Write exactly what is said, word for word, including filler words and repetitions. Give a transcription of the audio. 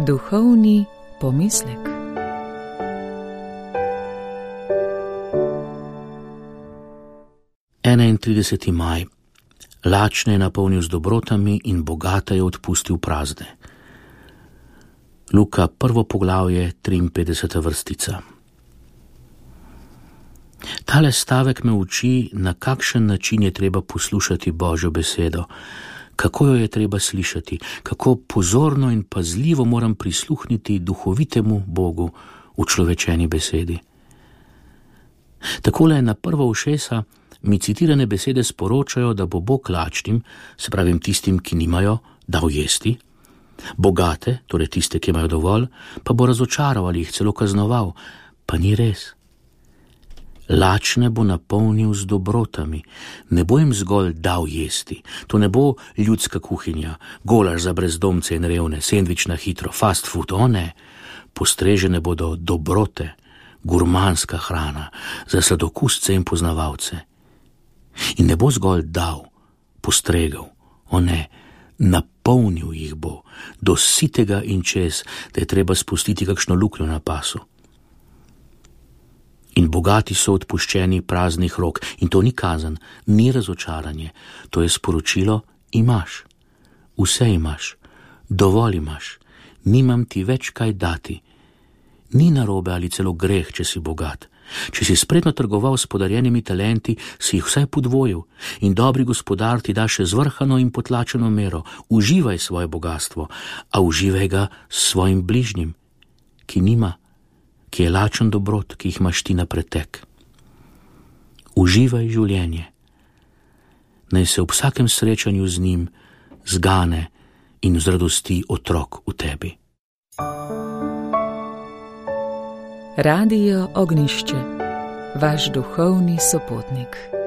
Duhovni pomislek. enaintrideseti maj. Lačne je napolnil z dobrotami in bogate je odpustil prazne. Luka, prvo poglavje, triinpetdeseta vrstica. Tale stavek me uči, na kakšen način je treba poslušati Božjo besedo, kako jo je treba slišati, kako pozorno in pazljivo moram prisluhniti duhovitemu Bogu v človečeni besedi. Takole na prva ušesa mi citirane besede sporočajo, da bo Bog lačnim, se pravim tistim, ki nimajo, dal jesti, bogate, torej tiste, ki imajo dovolj, pa bo razočaral ali jih celo kaznoval, pa ni res. Lačne bo napolnil z dobrotami, ne bo jim zgolj dal jesti, to ne bo ljudska kuhinja, golaž za brezdomce in revne, sendvič na hitro, fast food, o ne, postrežene bodo dobrote, gurmanska hrana za sladokusce in poznavalce. In ne bo zgolj dal, postregel, o ne, napolnil jih bo, do sitega in čez, da je treba spustiti kakšno luknjo na pasu. In bogati so odpuščeni praznih rok, in to ni kazen, ni razočaranje, to je sporočilo, imaš, vse imaš, dovolj imaš, nimam ti več kaj dati. Ni narobe ali celo greh, če si bogat. Če si spretno trgoval s podarjenimi talenti, si jih vsaj podvojil in dobri gospodar ti da še zvrhano in potlačeno mero. Uživaj svoje bogatstvo, a uživaj ga s svojim bližnjim, ki nima, ki je lačen dobrot, ki jih imaš ti na pretek. Uživaj življenje. Naj se ob vsakem srečanju z njim zgane in vzradosti otrok v tebi. Radio Ognišče, vaš duhovni sopotnik.